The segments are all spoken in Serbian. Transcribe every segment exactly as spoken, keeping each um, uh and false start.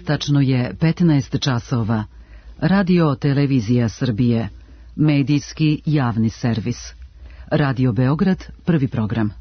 Tačno je petnaest časova. Radio Televizija Srbije. Medijski javni servis. Radio Beograd, prvi program.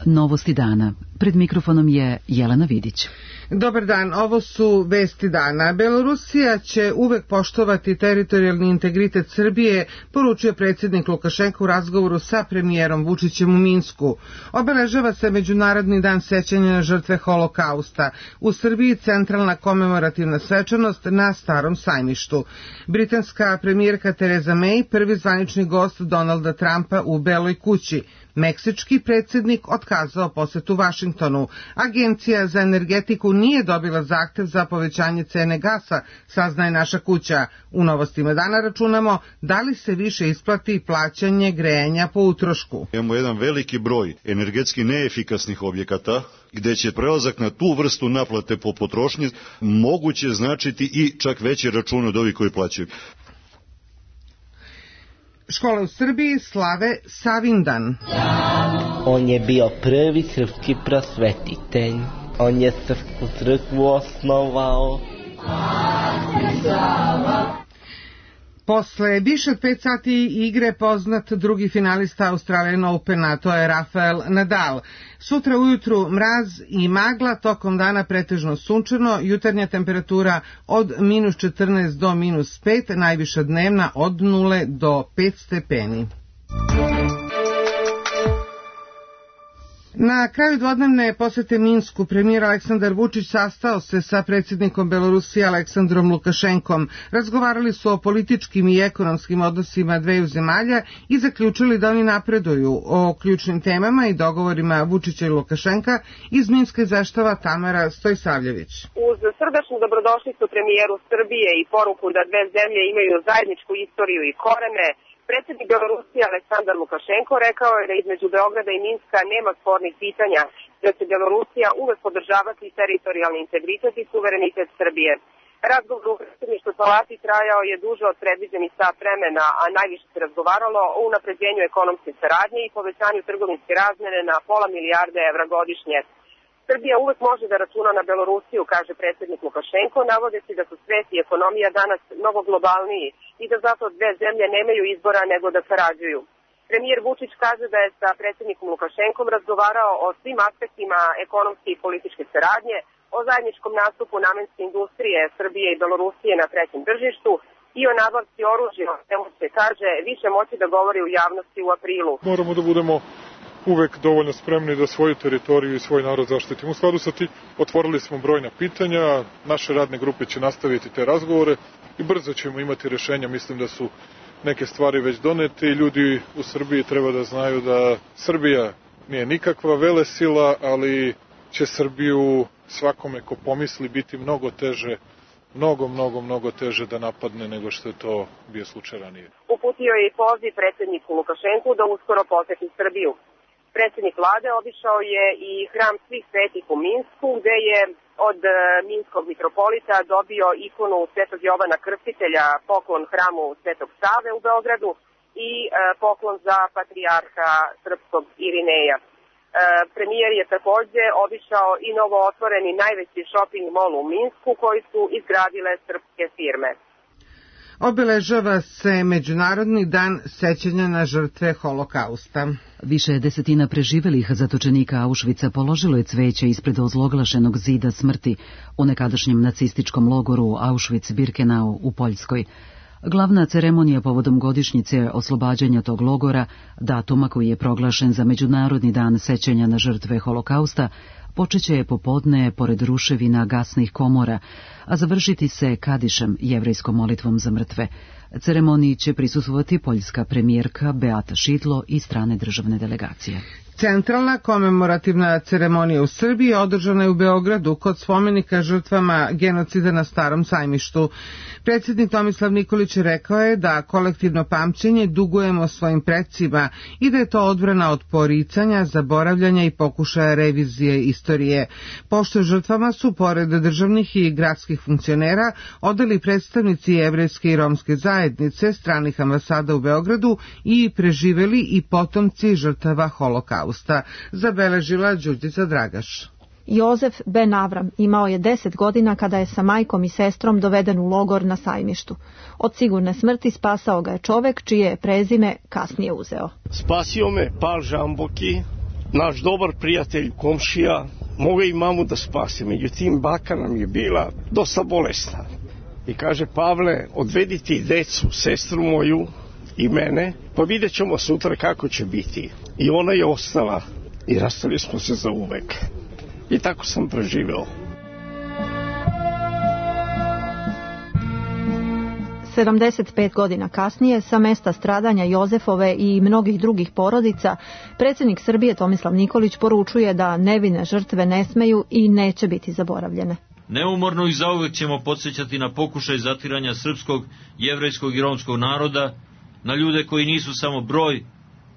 Novosti dana. Pred mikrofonom je Jelena Vidić. Dobar dan, ovo su vesti dana. Belorusija će uvek poštovati teritorijalni integritet Srbije, poručio predsjednik Lukašenko u razgovoru sa premijerom Vučićem u Minsku. Obeležava se Međunarodni dan sećanja na žrtve Holokausta. U Srbiji centralna komemorativna svečanost na Starom sajmištu. Britanska premijerka Theresa May, prvi zvanični gost Donalda Trumpa u Beloj kući. Meksički predsjednik otkazao posetu Vašingtonu. Agencija za energetiku nije dobila zahtev za povećanje cene gasa, saznaje naša kuća. U novostima dana računamo da li se više isplati plaćanje grejanja po utrošku. Imamo jedan veliki broj energetski neefikasnih objekata gde će prelazak na tu vrstu naplate po potrošnji moguće značiti i čak veće račune od ovih koji plaćaju. Škole u Srbiji slave Savindan. On je bio prvi srpski prosvetitelj. On je srpsku crkvu osnovao. Posle više od pet sati igre poznat drugi finalista Australian Opena, to je Rafael Nadal. Sutra ujutru mraz i magla, tokom dana pretežno sunčano, jutarnja temperatura od minus četrnaest do minus pet, najviša dnevna od nule do pet stepeni. Na kraju dvodnevne posete Minsku premijer Aleksandar Vučić sastao se sa predsjednikom Belorusije Aleksandrom Lukašenkom. Razgovarali su o političkim i ekonomskim odnosima dveju zemalja i zaključili da oni napreduju. O ključnim temama i dogovorima Vučića i Lukašenka iz Minska izveštava Tamara Stojsavljević. Uz srdačnu dobrodošlicu premijeru Srbije i poruku da dve zemlje imaju zajedničku istoriju i korene, predsjednik Belorusije Aleksandar Lukašenko rekao je da između Beograda i Minska nema spornih pitanja, da će Belorusija uvek podržavati teritorijalni integritet i suverenitet Srbije. Razgovor u predsjedništvu palati trajao je duže od predviđenih sat vremena, a najviše se razgovaralo o unapređenju ekonomske saradnje i povećanju trgovinske razmene na pola milijarde evra godišnje. Srbija uvek može da računa na Belorusiju, kaže predsjednik Lukašenko, navodeći da su svet i ekonomija danas mnogo globalniji i da zato dve zemlje nemaju izbora nego da sarađuju. Premijer Vučić kaže da je sa predsjednikom Lukašenkom razgovarao o svim aspektima ekonomske i političke saradnje, o zajedničkom nastupu namenske industrije Srbije i Belorusije na trećem tržištu i o nabavci oružja, čemu se kaže više moći da govori u javnosti u aprilu. Moramo da budemo uvek dovoljno spremni da svoju teritoriju i svoj narod zaštitimo. U skladu sa tim otvorili smo brojna pitanja, naše radne grupe će nastaviti te razgovore i brzo ćemo imati rešenja. Mislim da su neke stvari već donete i ljudi u Srbiji treba da znaju da Srbija nije nikakva velesila, ali će Srbiju svakome ko pomisli biti mnogo teže, mnogo, mnogo, mnogo teže da napadne nego što je to bio slučaj ranije. Uputio je i poziv predsjedniku Lukašenku da uskoro poseti Srbiju. Predsjednik vlade obišao je i hram svih svetih u Minsku, gde je od minskog mitropolita dobio ikonu Svetog Jovana Krstitelja, poklon hramu Svetog Save u Beogradu i poklon za patrijarha srpskog Irineja. Premijer je takođe obišao i novo otvoreni najveći shopping mall u Minsku koji su izgradile srpske firme. Obeležava se Međunarodni dan sećanja na žrtve Holokausta. Više desetina preživelih zatočenika Auschwitza položilo je cveće ispred ozloglašenog zida smrti u nekadašnjem nacističkom logoru Auschwitz-Birkenau u Poljskoj. Glavna ceremonija povodom godišnjice oslobađanja tog logora, datuma koji je proglašen za Međunarodni dan sećanja na žrtve Holokausta, počeće je popodne pored ruševina gasnih komora, a završiti se kadišem, jevrejskom molitvom za mrtve. Ceremoniji će prisustvovati poljska premijerka Beata Šidlo i strane državne delegacije. Centralna komemorativna ceremonija u Srbiji održana je u Beogradu kod spomenika žrtvama genocida na Starom sajmištu. Predsjednik Tomislav Nikolić rekao je da kolektivno pamćenje dugujemo svojim precima i da je to odbrana od poricanja, zaboravljanja i pokušaja revizije istorije. Pošto žrtvama su, pored državnih i gradskih funkcionera, odali predstavnici jevrejske i romske zajednice, stranih ambasada u Beogradu i preživeli i potomci žrtava Holokausta. holokausta, zabeležila Đurđica Dragaš. Jozef Ben Avram imao je deset godina kada je sa majkom i sestrom doveden u logor na Sajmištu. Od sigurne smrti spasao ga je čovek čije je prezime kasnije uzeo. Spasio me Pal Žamboki, naš dobar prijatelj, komšija. Mogu i mamu da spase, međutim baka nam je bila dosta bolesna. I kaže, Pavle, odvedi ti decu, sestru moju i mene, pa vidjet ćemo sutra kako će biti. I ona je ostala i rastali smo se za uvek. I tako sam preživeo. sedamdeset pet godina kasnije, sa mesta stradanja Jozefove i mnogih drugih porodica, predsjednik Srbije Tomislav Nikolić poručuje da nevine žrtve ne smeju i neće biti zaboravljene. Neumorno i zauvek ćemo podsjećati na pokušaj zatiranja srpskog, jevrejskog i romskog naroda, na ljude koji nisu samo broj,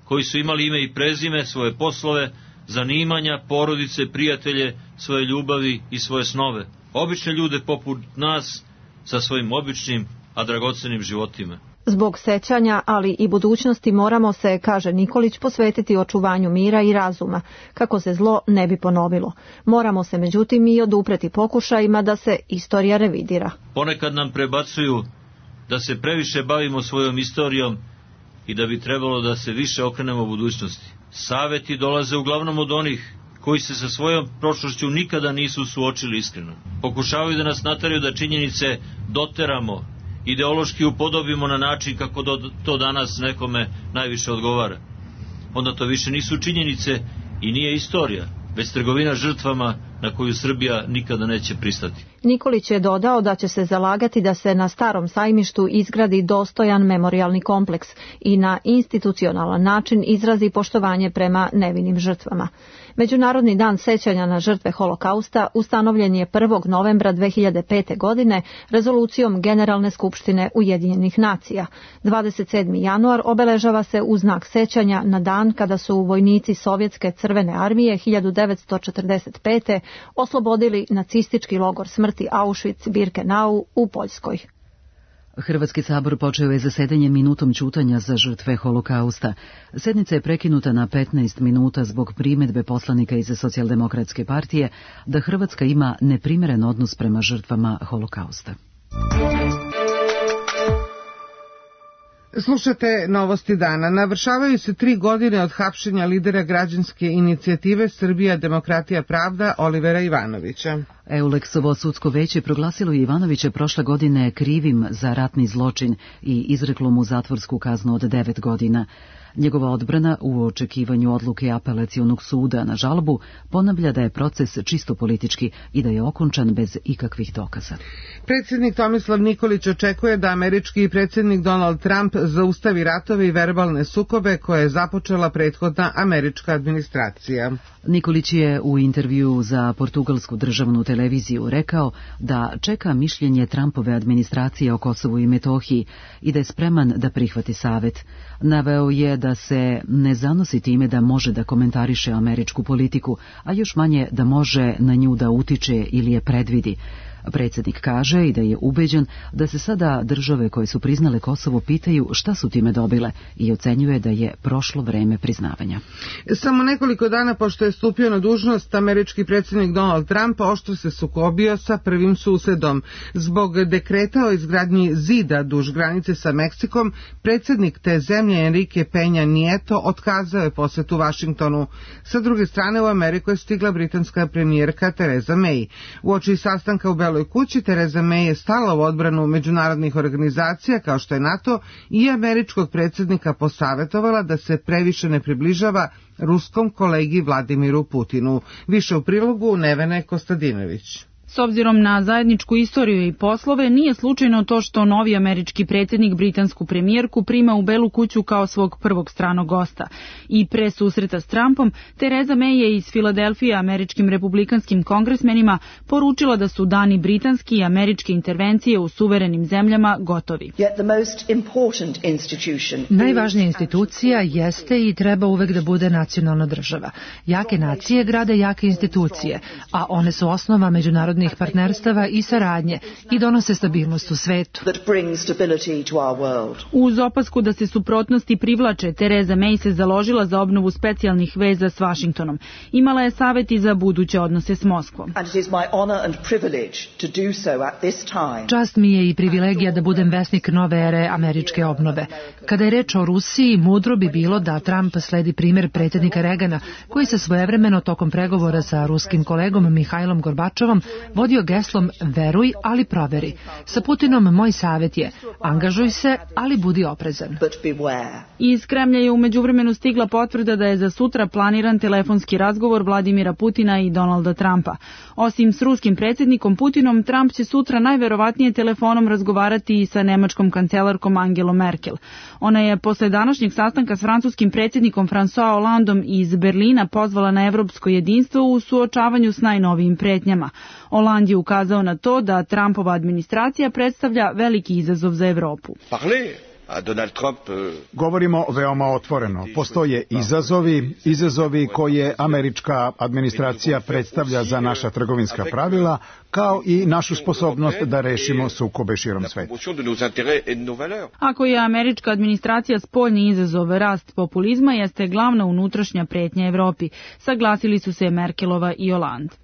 koji su imali ime i prezime, svoje poslove, zanimanja, porodice, prijatelje, svoje ljubavi i svoje snove. Obične ljude poput nas sa svojim običnim, a dragocenim životima. Zbog sećanja, ali i budućnosti moramo se, kaže Nikolić, posvetiti očuvanju mira i razuma, kako se zlo ne bi ponovilo. Moramo se međutim i odupreti pokušajima da se istorija revidira. Ponekad nam prebacuju da se previše bavimo svojom istorijom i da bi trebalo da se više okrenemo budućnosti. Saveti dolaze uglavnom od onih koji se sa svojom prošlošću nikada nisu suočili iskreno. Pokušavaju da nas nateraju da činjenice doteramo, ideološki upodobimo na način kako to danas nekome najviše odgovara. Onda to više nisu činjenice i nije istorija, već trgovina žrtvama na koju Srbija nikada neće pristati. Nikolić je dodao da će se zalagati da se na Starom Sajmištu izgradi dostojan memorijalni kompleks i na institucionalan način izrazi poštovanje prema nevinim žrtvama. Međunarodni dan sećanja na žrtve holokausta ustanovljen je prvog novembra dve hiljade pete. godine rezolucijom Generalne skupštine Ujedinjenih nacija. dvadeset sedmi januar obeležava se u znak sećanja na dan kada su vojnici Sovjetske crvene armije hiljadu devetsto četrdeset pete. oslobodili nacistički logor smrti Auschwitz-Birkenau u Poljskoj. Hrvatski sabor počeo je zasedanje minutom ćutanja za žrtve holokausta. Sednica je prekinuta na petnaest minuta zbog primedbe poslanika iz Socijaldemokratske partije da Hrvatska ima neprimeren odnos prema žrtvama holokausta. Slušate novosti dana. Navršavaju se tri godine od hapšenja lidera građanske inicijative Srbija, demokratija, pravda Olivera Ivanovića. Euleksovo sudsko veće proglasilo je Ivanovića prošle godine krivim za ratni zločin i izreklo mu zatvorsku kaznu od devet godina. Njegova odbrana u očekivanju odluke apelacionog suda na žalbu ponavlja da je proces čisto politički i da je okončan bez ikakvih dokaza. Predsjednik Tomislav Nikolić očekuje da američki predsjednik Donald Trump zaustavi ratove i verbalne sukobe koje je započela prethodna američka administracija. Nikolić je u intervju za portugalsku državnu televiziju rekao da čeka mišljenje Trumpove administracije o Kosovu i Metohiji i da je spreman da prihvati savet. Naveo je da se ne zanosi time da može da komentariše američku politiku, a još manje da može na nju da utiče ili je predvidi. Predsjednik kaže i da je ubeđen da se sada države koje su priznale Kosovo pitaju šta su time dobile i ocenjuje da je prošlo vreme priznavanja. Samo nekoliko dana pošto je stupio na dužnost, američki predsjednik Donald Trump oštro se sukobio sa prvim susedom. Zbog dekreta o izgradnji zida duž granice sa Meksikom, predsjednik te zemlje Enrique Peña Nieto otkazao je posetu Vašingtonu. Sa druge strane u Ameriku je stigla britanska premijerka Theresa May. Uoči sastanka u Beloj kući Theresa May je stala u odbranu međunarodnih organizacija kao što je NATO i američkog predsjednika posavetovala da se previše ne približava ruskom kolegi Vladimiru Putinu. Više u prilogu Nevene Kostadinović. S obzirom na zajedničku istoriju i poslove, nije slučajno to što novi američki predsjednik britansku premijerku prima u Belu kuću kao svog prvog stranog gosta. I pre susreta s Trumpom, Theresa May je iz Filadelfije američkim republikanskim kongresmenima poručila da su dani britanski i američke intervencije u suverenim zemljama gotovi. Najvažnija institucija jeste i treba uvek da bude nacionalna država. Jake nacije grade jake institucije, a one su osnova međunarodne međunarodnih partnerstava i saradnje i donose stabilnost u svetu. Uz opasku da se suprotnosti privlače, Tereza May se založila za obnovu specijalnih veza s Vašingtonom. Imala je savjet i za buduće odnose s Moskvom. Čast mi je i privilegija da budem vesnik nove ere američke obnove. Kada je reč o Rusiji, mudro bi bilo da Trump sledi primjer predsjednika Reagana, koji se svojevremeno tokom pregovora sa ruskim kolegom Mihajlom Gorbačovom vodio geslom veruj, ali proveri. Sa Putinom moj savjet je angažuj se, ali budi oprezan. Iz Kremlja je u međuvremenu stigla potvrda da je za sutra planiran telefonski razgovor Vladimira Putina i Donalda Trumpa. Osim s ruskim predsjednikom Putinom, Trump će sutra najverovatnije telefonom razgovarati i sa nemačkom kancelarkom Angelom Merkel. Ona je posle današnjeg sastanka s francuskim predsjednikom François Hollandom iz Berlina pozvala na evropsko jedinstvo u suočavanju s najnovijim pretnjama. Hollande je ukazao na to da Trumpova administracija predstavlja veliki izazov za Evropu. Govorimo veoma otvoreno. Postoje izazovi, izazovi koje američka administracija predstavlja za naša trgovinska pravila, kao i našu sposobnost da rešimo sukobe širom sveta. Ako je američka administracija spoljni izazov, rast populizma jeste glavna unutrašnja pretnja Evropi, saglasili su se Merkelova i Hollande.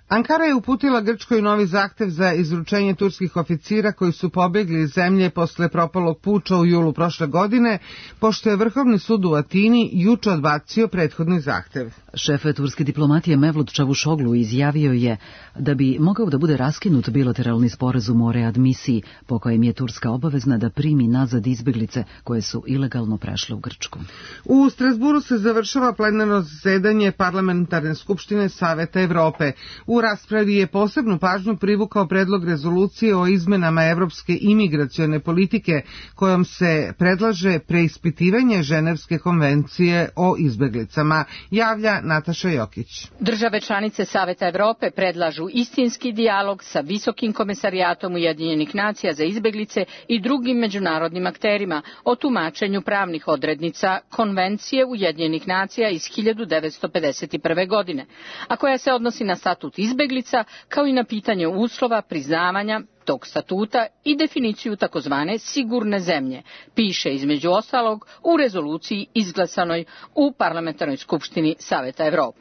Ankara je uputila Grčkoj novi zahtev za izručenje turskih oficira koji su pobegli iz zemlje posle propalog puča u julu prošle godine, pošto je Vrhovni sud u Atini juče odbacio prethodni zahtev. Šef turske diplomatije Mevlut Čavuşoglu izjavio je da bi mogao da bude raskinut bilateralni sporazum o readmisiji, po kojem je Turska obavezna da primi nazad izbeglice koje su ilegalno prešle u Grčku. U Strasburu se završava plenarno zasedanje Parlamentarne skupštine Saveta Evrope. U raspravi je posebnu pažnju privukao predlog rezolucije o izmenama evropske imigracione politike, kojom se predlaže preispitivanje Ženevske konvencije o izbeglicama, javlja Nataša Jokić. Države članice Saveta Evrope predlažu istinski dijalog sa Visokim komesarijatom Ujedinjenih nacija za izbeglice i drugim međunarodnim akterima o tumačenju pravnih odrednica Konvencije Ujedinjenih nacija iz hiljadu devetsto pedeset prve. godine, a koja se odnosi na statut izbeglica, kao i na pitanje uslova priznavanja tog statuta i definiciju takozvane sigurne zemlje, piše između ostalog u rezoluciji izglasanoj u Parlamentarnoj skupštini Saveta Evrope.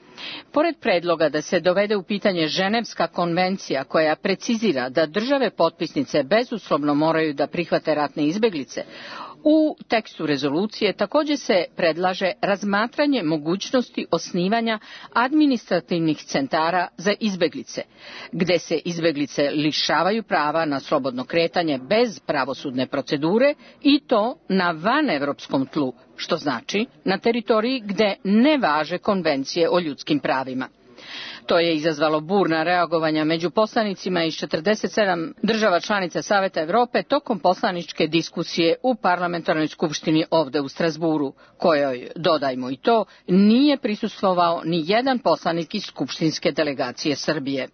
Pored predloga da se dovede u pitanje Ženevska konvencija koja precizira da države potpisnice bezuslovno moraju da prihvate ratne izbeglice, u tekstu rezolucije također se predlaže razmatranje mogućnosti osnivanja administrativnih centara za izbeglice, gde se izbeglice lišavaju prava na slobodno kretanje bez pravosudne procedure i to na vanevropskom tlu, što znači na teritoriji gde ne važe konvencije o ljudskim pravima. To je izazvalo burna reagovanja među poslanicima iz četrdeset sedam država članica Saveta Evrope tokom poslaničke diskusije u Parlamentarnoj skupštini ovde u Strasburu, kojoj, dodajmo i to, nije prisustvovao ni jedan poslanik iz skupštinske delegacije Srbije.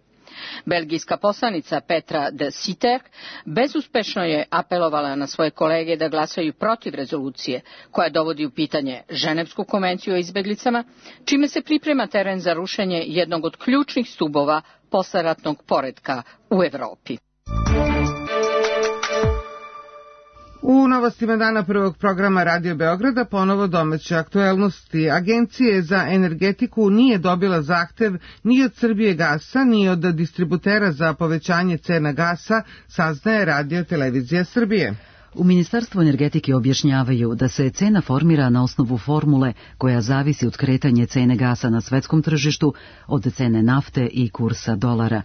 Belgijska poslanica Petra de Sitter bezuspešno je apelovala na svoje kolege da glasaju protiv rezolucije koja dovodi u pitanje Ženevsku konvenciju o izbeglicama, čime se priprema teren za rušenje jednog od ključnih stubova posleratnog poretka u Evropi. U novostima dana prvog programa Radio Beograda ponovo domaće aktuelnosti. Agencije za energetiku nije dobila zahtev ni od Srbije gasa, ni od distributera za povećanje cena gasa, saznaje Radio Televizija Srbije. U Ministarstvu energetike objašnjavaju da se cena formira na osnovu formule koja zavisi od kretanja cene gasa na svetskom tržištu, od cene nafte i kursa dolara.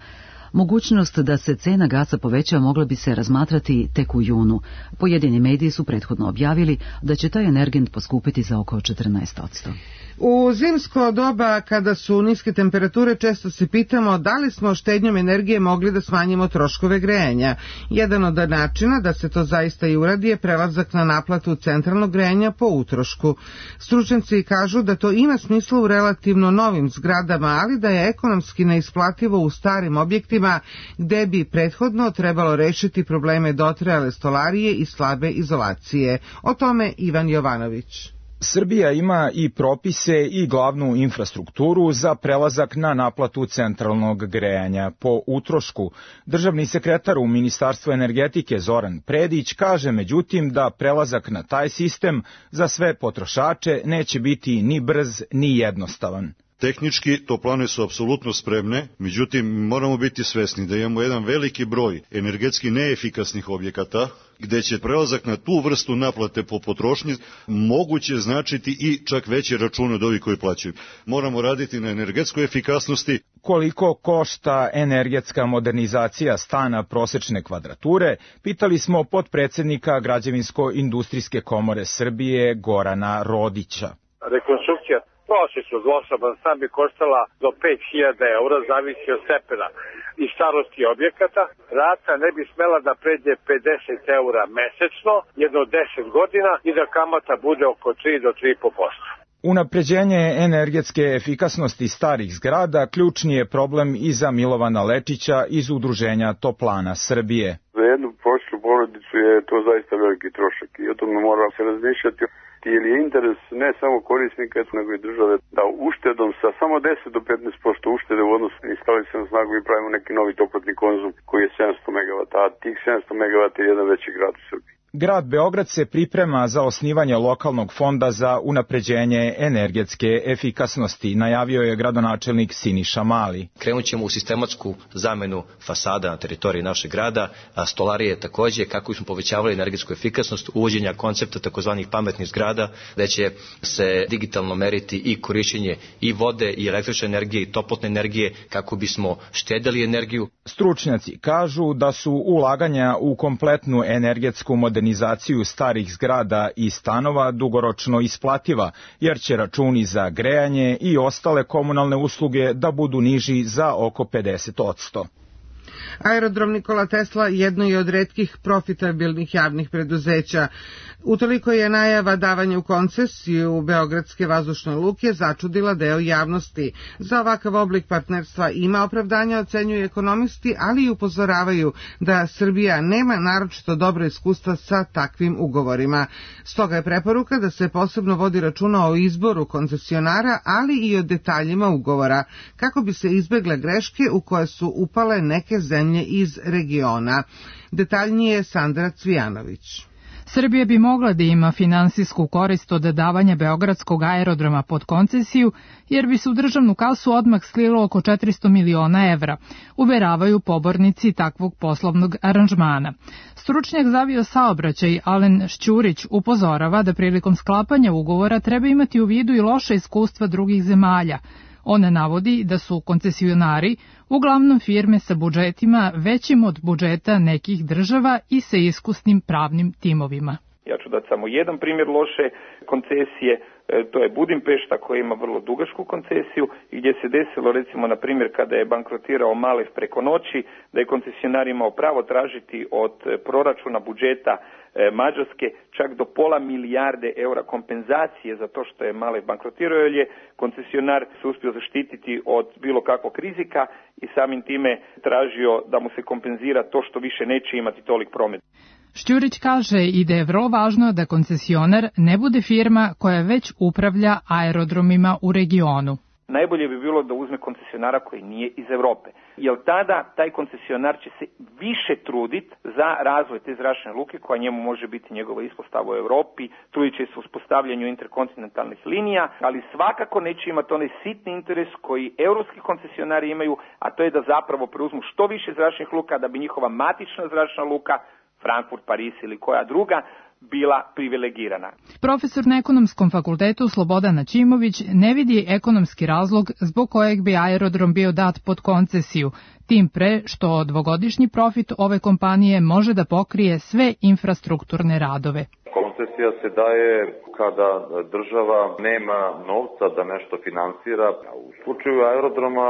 Mogućnost da se cena gasa poveća mogla bi se razmatrati tek u junu. Pojedini mediji su prethodno objavili da će taj energent poskupiti za oko četrnaest posto. U zimsko doba, kada su niske temperature, često se pitamo da li smo štednjom energije mogli da smanjimo troškove grejanja. Jedan od načina da se to zaista i uradi je prelazak na naplatu centralnog grejanja po utrošku. Stručnjaci kažu da to ima smisla u relativno novim zgradama, ali da je ekonomski neisplativo u starim objektima gde bi prethodno trebalo rešiti probleme dotrajale stolarije i slabe izolacije. O tome Ivan Jovanović. Srbija ima i propise i glavnu infrastrukturu za prelazak na naplatu centralnog grejanja po utrošku. Državni sekretar u Ministarstvu energetike Zoran Predić kaže međutim da prelazak na taj sistem za sve potrošače neće biti ni brz ni jednostavan. Tehnički toplane su apsolutno spremne, međutim moramo biti svesni da imamo jedan veliki broj energetski neefikasnih objekata gde će prelazak na tu vrstu naplate po potrošnji moguće značiti i čak veće račune od ovih koji plaćaju. Moramo raditi na energetskoj efikasnosti. Koliko košta energetska modernizacija stana prosečne kvadrature, pitali smo potpredsednika Građevinsko-industrijske komore Srbije Gorana Rodića. Rekonstrukcija prosječno dvosoban stan bi koštala do pet hiljada eura, zavisi od stepena i starosti objekata. Rata ne bi smela da pređe pedeset eura mesečno, jedno deset godina i da kamata bude oko tri do tri i po posto. Unapređenje energetske efikasnosti starih zgrada ključni je problem i za Milovana Lečića iz Udruženja Toplana Srbije. Za jednu prosječnu porodicu je to zaista veliki trošak i o tome mora se razmišljati. Jer je interes ne samo korisnika, nego i države da uštedom sa samo deset do petnaest posto uštede u odnosu na instalisanu snagu i pravimo neki novi toplotni konzum koji je sedamsto megavata, a tih sedamsto megavata je jedan veći grad u Srbiji. Grad Beograd se priprema za osnivanje lokalnog fonda za unapređenje energetske efikasnosti, najavio je gradonačelnik Siniša Mali. Krenut ćemo u sistematsku zamenu fasada na teritoriji našeg grada, a stolarije takođe, kako smo povećavali energetsku efikasnost, uvođenja koncepta takozvanih pametnih zgrada, gde će se digitalno meriti i korišćenje i vode, i električne energije, i toplotne energije, kako bismo štedeli energiju. Stručnjaci kažu da su ulaganja u kompletnu energetsku modernizaciju modernizaciju starih zgrada i stanova dugoročno isplativa, jer će računi za grejanje i ostale komunalne usluge da budu niži za oko pedeset posto. Aerodrom Nikola Tesla jedno je od retkih profitabilnih javnih preduzeća. Utoliko je najava davanja u koncesiju beogradske vazdušne luke začudila deo javnosti. Za ovakav oblik partnerstva ima opravdanja, ocenjuju ekonomisti, ali i upozoravaju da Srbija nema naročito dobro iskustva sa takvim ugovorima. Stoga je preporuka da se posebno vodi računa o izboru koncesionara, ali i o detaljima ugovora, kako bi se izbegle greške u koje su upale neke zemlje iz regiona. Detaljnije Sandra Cvijanović. Srbija bi mogla da ima finansijsku korist od davanja Beogradskog aerodroma pod koncesiju, jer bi se u državnu kasu odmah slilo oko četiristo miliona evra, uveravaju pobornici takvog poslovnog aranžmana. Stručnjak za aviosaobraćaj Alen Šćurić upozorava da prilikom sklapanja ugovora treba imati u vidu i loše iskustva drugih zemalja. Ona navodi da su koncesionari uglavnom firme sa budžetima većim od budžeta nekih država i sa iskusnim pravnim timovima. Ja ću dati samo jedan primjer loše koncesije, to je Budimpešta koja ima vrlo dugačku koncesiju i gdje se desilo recimo na primjer kada je bankrotirao Malev preko noći, da je koncesionar imao pravo tražiti od proračuna budžeta Mađarske čak do pola milijarde eura kompenzacije za to što je Malev bankrotirao, jer je koncesionar se uspio zaštititi od bilo kakvog rizika i samim time tražio da mu se kompenzira to što više neće imati tolik promet. Šćurić kaže i da je vrlo važno da koncesionar ne bude firma koja već upravlja aerodromima u regionu. Najbolje bi bilo da uzme koncesionara koji nije iz Evrope, jer tada taj koncesionar će se više truditi za razvoj te zračne luke koja njemu može biti njegova ispostava u Evropi, trudit će se u uspostavljanju interkontinentalnih linija, ali svakako neće imati onaj sitni interes koji evropski koncesionari imaju, a to je da zapravo preuzmu što više zračnih luka da bi njihova matična zračna luka, Frankfurt, Paris ili koja druga, bila privilegirana. Profesor na Ekonomskom fakultetu Slobodan Načimović ne vidi ekonomski razlog zbog kojeg bi aerodrom bio dat pod koncesiju, tim pre što dvogodišnji profit ove kompanije može da pokrije sve infrastrukturne radove. Koncesija se daje kada država nema novca da nešto finansira. U slučaju aerodroma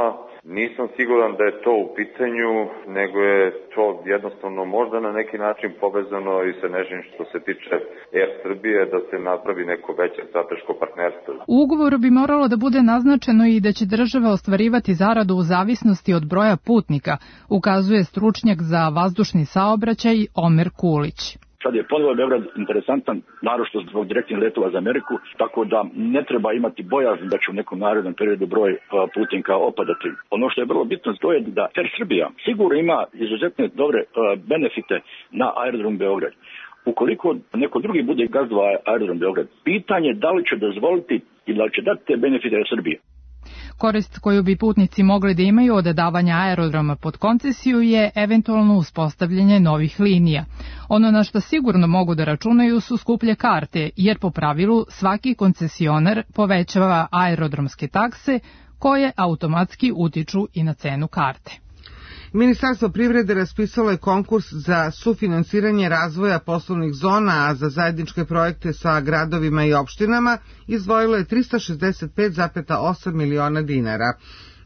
nisam siguran da je to u pitanju, nego je to jednostavno možda na neki način povezano i sa nečim što se tiče Er Srbije, da se napravi neko veće strateško partnerstvo. U ugovoru bi moralo da bude naznačeno i da će država ostvarivati zaradu u zavisnosti od broja putnika, ukazuje stručnjak za vazdušni saobraćaj Omer Kulić. Sad je ponovo Beograd interesantan, naročito zbog direktnih letova za Ameriku, tako da ne treba imati bojazni da će u nekom narednom periodu broj putnika opadati. Ono što je vrlo bitno to je da Air Srbija sigurno ima izuzetne dobre benefite na aerodrom Beograd. Ukoliko neko drugi bude gazdovao aerodrom Beograd, pitanje da li će dozvoliti i da li će dati te benefite Srbije. Korist koju bi putnici mogli da imaju od davanja aerodroma pod koncesiju je eventualno uspostavljanje novih linija. Ono na što sigurno mogu da računaju su skuplje karte, jer po pravilu svaki koncesionar povećava aerodromske takse koje automatski utiču i na cenu karte. Ministarstvo privrede raspisalo je konkurs za sufinansiranje razvoja poslovnih zona, a za zajedničke projekte sa gradovima i opštinama izdvojilo je trista šezdeset pet zarez osam miliona dinara.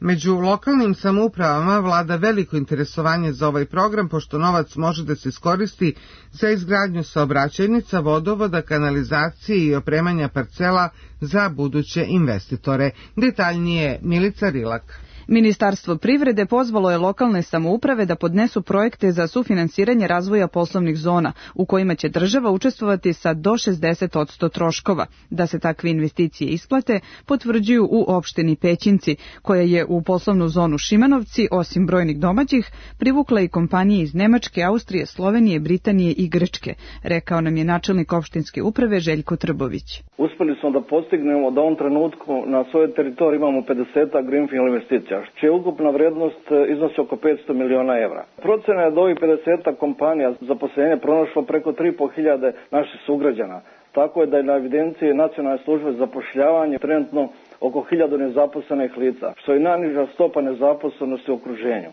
Među lokalnim samoupravama vlada veliko interesovanje za ovaj program, pošto novac može da se iskoristi za izgradnju saobraćajnica, vodovoda, kanalizacije i opremanja parcela za buduće investitore. Detaljnije Milica Rilak. Ministarstvo privrede pozvalo je lokalne samouprave da podnesu projekte za sufinansiranje razvoja poslovnih zona, u kojima će država učestvovati sa do šezdeset posto troškova. Da se takve investicije isplate, potvrđuju u opštini Pećinci, koja je u poslovnu zonu Šimanovci, osim brojnih domaćih, privukla i kompanije iz Nemačke, Austrije, Slovenije, Britanije i Grčke, rekao nam je načelnik opštinske uprave Željko Trbović. Uspeli smo da postignemo da u ovom trenutku na svojoj teritoriji imamo pedeset greenfield investicija, čija ukupna vrednost iznosi oko petsto miliona evra. Procena je da ovih pedeset kompanija zaposlenje pronašlo preko tri i po hiljade naših sugrađana. Tako je da je na evidenciji Nacionalne službe za zapošljavanje trenutno oko hiljadu nezaposlenih lica, što je najniža stopa nezaposlenosti u okruženju.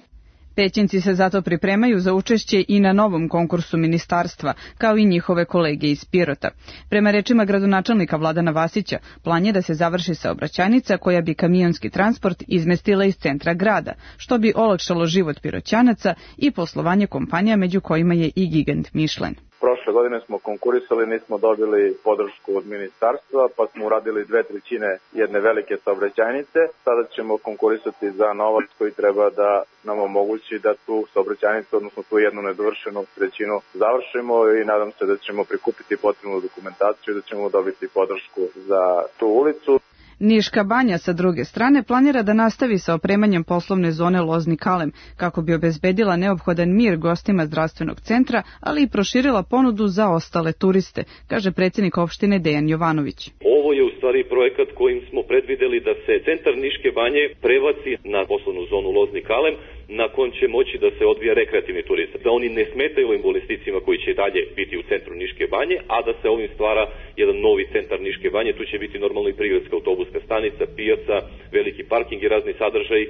Pećinci se zato pripremaju za učešće i na novom konkursu ministarstva, kao i njihove kolege iz Pirota. Prema rečima gradonačelnika Vladana Vasića, plan je da se završi saobraćajnica koja bi kamionski transport izmestila iz centra grada, što bi olakšalo život Piroćanaca i poslovanje kompanija, među kojima je i gigant Michelin. Prošle godine smo konkurisali, nismo dobili podršku od ministarstva, pa smo uradili dve trećine jedne velike saobraćajnice. Sada ćemo konkurisati za novac koji treba da nam omogući da tu saobraćajnicu, odnosno tu jednu nedovršenu trećinu završimo i nadam se da ćemo prikupiti potrebnu dokumentaciju i da ćemo dobiti podršku za tu ulicu. Niška banja sa druge strane planira da nastavi sa opremanjem poslovne zone Lozni Kalem kako bi obezbedila neophodan mir gostima zdravstvenog centra, ali i proširila ponudu za ostale turiste, kaže predsjednik opštine Dejan Jovanović. Ovo je u stvari projekat kojim smo predvideli da se centar Niške banje prebaci na poslovnu zonu Lozni Kalem, na kojem će moći da se odvija rekreativni turizam, da oni ne smetaju ovim investicijama koji će dalje biti u centru Niške banje, a da se ovim stvara jedan novi centar Niške banje. Tu će biti normalno i prigradska autobuska stanica, pijaca, veliki parking i razni sadržaji.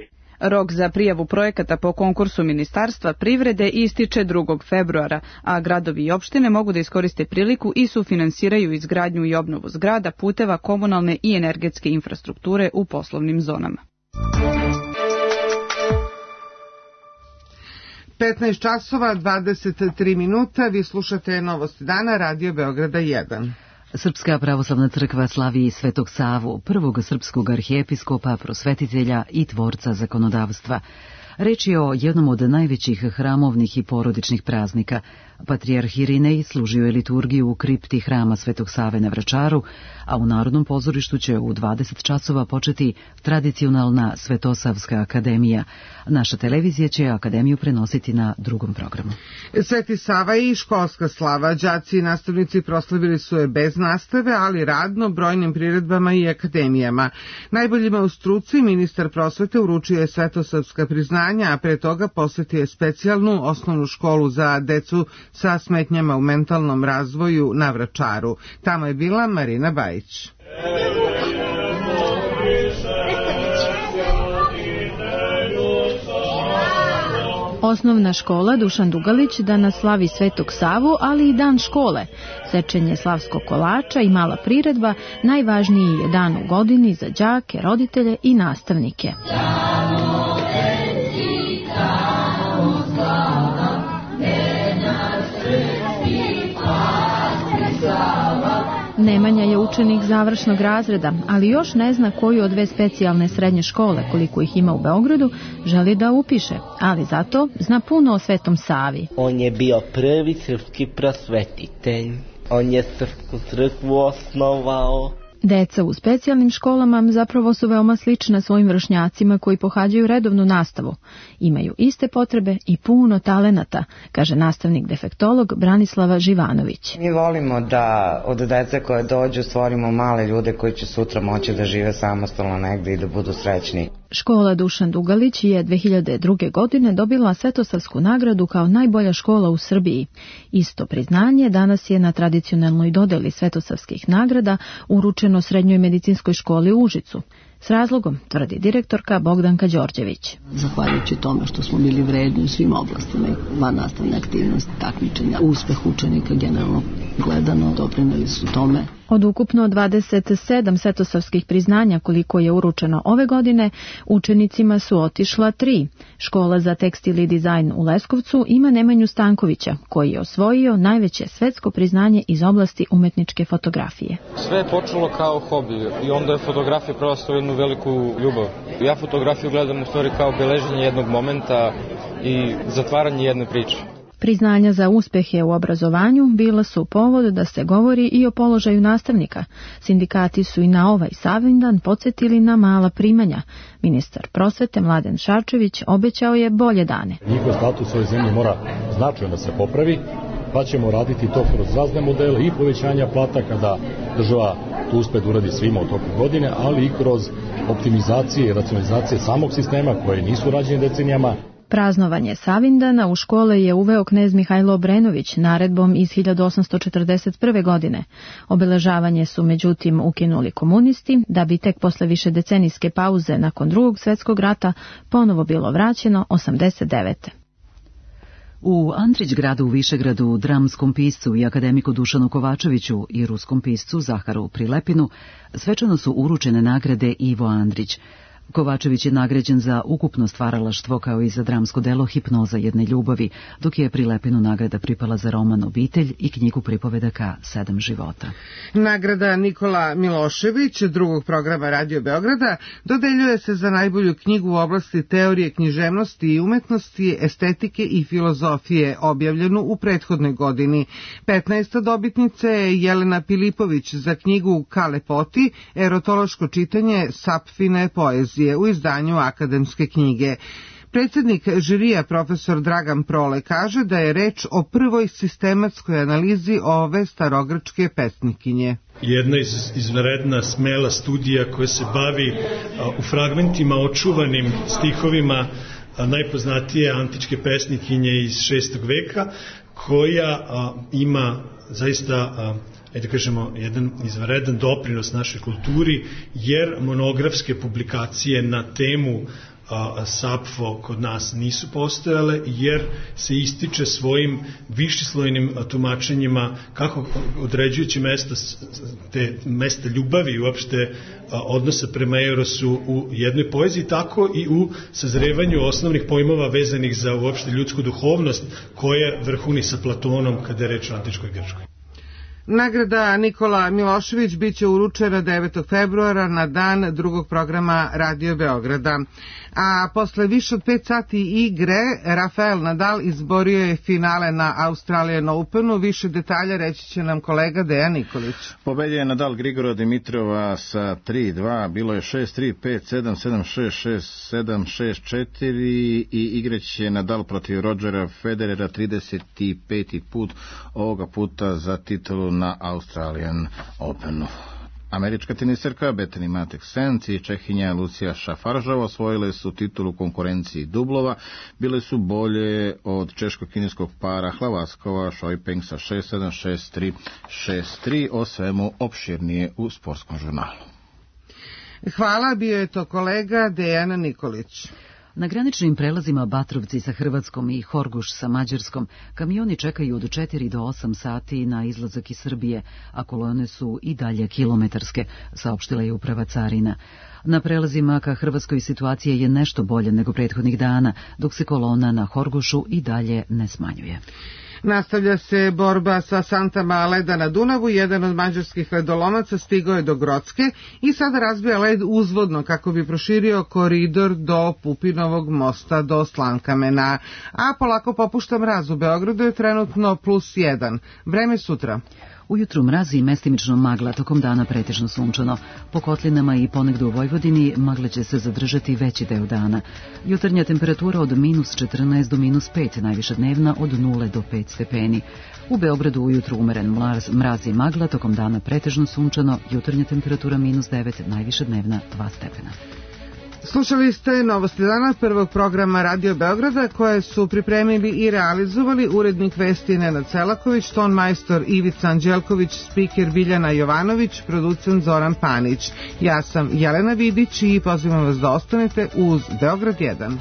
Rok za prijavu projekata po konkursu Ministarstva privrede ističe drugog februara, a gradovi i opštine mogu da iskoriste priliku i sufinansiraju izgradnju i obnovu zgrada, puteva, komunalne i energetske infrastrukture u poslovnim zonama. petnaest časova, dvadeset tri minuta, vi slušate Novosti dana, Radio Beograda jedan. Srpska pravoslavna crkva slavi Svetog Savu, prvog srpskog arhijepiskopa, prosvetitelja i tvorca zakonodavstva. Reč je o jednom od najvećih hramovnih i porodičnih praznika. Patrijarh Irinej služio je liturgiju u kripti hrama Svetog Save na Vračaru, a u Narodnom pozorištu će u dvadeset časova početi tradicionalna Svetosavska akademija. Naša televizija će akademiju prenositi na drugom programu. Sveti Sava i školska slava. Đaci i nastavnici proslavili su je bez nastave, ali radno, brojnim priredbama i akademijama. Najboljima u struci ministar prosvete uručio je Svetosavska priznanja, a pre toga posvetio je specijalnu osnovnu školu za decu sa smetnjama u mentalnom razvoju na Vračaru. Tamo je bila Marina Bajić. Osnovna škola Dušan Dugalić danas slavi Svetog Savu, ali i dan škole. Sečenje slavskog kolača i mala priredba najvažniji je dan u godini za đake, roditelje i nastavnike. Nemanja je učenik završnog razreda, ali još ne zna koju od dve specijalne srednje škole, koliko ih ima u Beogradu, želi da upiše, ali zato zna puno o Svetom Savi. On je bio prvi srpski prosvetitelj. On je srpsku crkvu osnovao. Deca u specijalnim školama zapravo su veoma slična svojim vršnjacima koji pohađaju redovnu nastavu. Imaju iste potrebe i puno talenata, kaže nastavnik defektolog Branislava Živanović. Mi volimo da od dece koje dođu stvorimo male ljude koji će sutra moći da žive samostalno negde i da budu srećni. Škola Dušan Dugalić je dve hiljade druge. godine dobila Svetosavsku nagradu kao najbolja škola u Srbiji. Isto priznanje danas je na tradicionalnoj dodeli Svetosavskih nagrada uručeno Srednjoj medicinskoj školi u Užicu. S razlogom, tvrdi direktorka Bogdanka Đorđević. Zahvaljujući tome što smo bili vredni u svim oblastima, van nastavne aktivnosti, takmičenja, uspeh učenika generalno gledano doprineli su tome. Od ukupno dvadeset sedam svetosavskih priznanja koliko je uručeno ove godine, učenicima su otišla tri. Škola za tekstil i dizajn u Leskovcu ima Nemanju Stankovića, koji je osvojio najveće svetsko priznanje iz oblasti umetničke fotografije. Sve je počelo kao hobi i onda je fotografija prerasla u jednu veliku ljubav. Ja fotografiju gledam u stvari kao beleženje jednog momenta i zatvaranje jedne priče. Priznanja za uspehe u obrazovanju bila su povod da se govori i o položaju nastavnika. Sindikati su i na ovaj Savindan podsjetili na mala primanja. Ministar prosvete Mladen Šarčević obećao je bolje dane. Njihov status u ovoj zemlji mora značajno da se popravi, pa ćemo raditi to kroz razne modele i povećanja plata kada država to uspe da uradi svima u toku godine, ali i kroz optimizacije i racionalizacije samog sistema koje nisu rađene decenijama. Praznovanje Savindana u škole je uveo knez Mihajlo Obrenović naredbom iz hiljadu osamsto četrdeset prve. godine. Obeležavanje su međutim ukinuli komunisti, da bi tek posle višedecenijske pauze nakon drugog svjetskog rata ponovo bilo vraćeno osamdeset devete. U Andrić gradu u Višegradu, dramskom piscu i akademiku Dušanu Kovačeviću i ruskom piscu Zaharu Prilepinu svečano su uručene nagrade Ivo Andrić. Kovačević je nagrađen za ukupno stvaralaštvo kao i za dramsko delo Hipnoza jedne ljubavi, dok je Prilepinu nagrada pripala za roman Obitelj i knjigu pripovedaka Sedam života. Nagrada Nikola Milošević drugog programa Radio Beograda dodeljuje se za najbolju knjigu u oblasti teorije književnosti i umetnosti, estetike i filozofije, objavljenu u prethodnoj godini. petnaesta dobitnica je Jelena Pilipović za knjigu Kalepoti, erotološko čitanje Sapfine poezije u izdanju Akademske knjige. Predsjednik žirija profesor Dragan Prole kaže da je reč o prvoj sistematskoj analizi ove starogrčke pesnikinje. Jedna iz, izvanredna smela studija koja se bavi a, u fragmentima očuvanim stihovima a, najpoznatije antičke pesnikinje iz šestog veka, koja a, ima zaista a, ajde da kažemo, jedan izvanredan doprinos našoj kulturi, jer monografske publikacije na temu a, Sapfo kod nas nisu postojale, jer se ističe svojim višeslojnim tumačenjima kako određujući mesta, te mesta ljubavi i uopšte a, odnosa prema Erosu u jednoj poeziji, tako i u sazrevanju osnovnih pojmova vezanih za uopšte ljudsku duhovnost, koja vrhuni sa Platonom kada je reč o antičkoj Grčkoj. Nagrada Nikola Milošević biće uručena devetog februara na dan drugog programa Radio Beograda. A posle više od pet sati igre, Rafael Nadal izborio je finale na Australian Openu. Više detalja reći će nam kolega Dejan Nikolić. Pobedio je Nadal Grigora Dimitrova sa tri dva, bilo je šest tri, pet sedam, sedam šest, šest sedam, šest četiri i igraće Nadal protiv Rodgera Federera trideset peti put, ovoga puta za titulu na Australian Openu. Američka teniserka Bethany Mattek-Sands i Čehinja Lucija Šafaržova osvojile su titulu konkurenciji dublova, bile su bolje od češko-kineskog para Hlavaskova Šojpeng sa šest sedam, šest tri, šest tri, o svemu opširnije u sportskom žurnalu. Hvala, bio je to kolega Dejan Nikolić. Na graničnim prelazima Batrovci sa Hrvatskom i Horgoš sa Mađarskom kamioni čekaju od četiri do osam sati na izlazak iz Srbije, a kolone su i dalje kilometarske, saopštila je uprava carina. Na prelazima ka Hrvatskoj situacija je nešto bolje nego prethodnih dana, dok se kolona na Horgošu i dalje ne smanjuje. Nastavlja se borba sa santama leda na Dunavu. Jedan od mađarskih ledolomaca stigao je do Grocke i sada razbija led uzvodno kako bi proširio koridor do Pupinovog mosta do Slankamena. A polako popušta mraz. U Beogradu je trenutno plus jedan. Vreme sutra. Ujutru mrazi i mestimično magla, tokom dana pretežno sunčano. Po kotlinama i ponegde u Vojvodini magle će se zadržati veći deo dana. Jutarnja temperatura od minus četrnaest do minus pet, najviša dnevna od nula do pet stepeni. U Beogradu ujutru umeren mraz, mraz i magla, tokom dana pretežno sunčano, jutarnja temperatura minus devet, najviša dnevna dva stepena. Slušali ste Novosti dana prvog programa Radio Beograda koje su pripremili i realizovali urednik vesti Nenad Selaković, ton majstor Ivica Anđelković, spiker Biljana Jovanović, producent Zoran Panić. Ja sam Jelena Vidić i pozivam vas da ostanete uz Beograd jedan.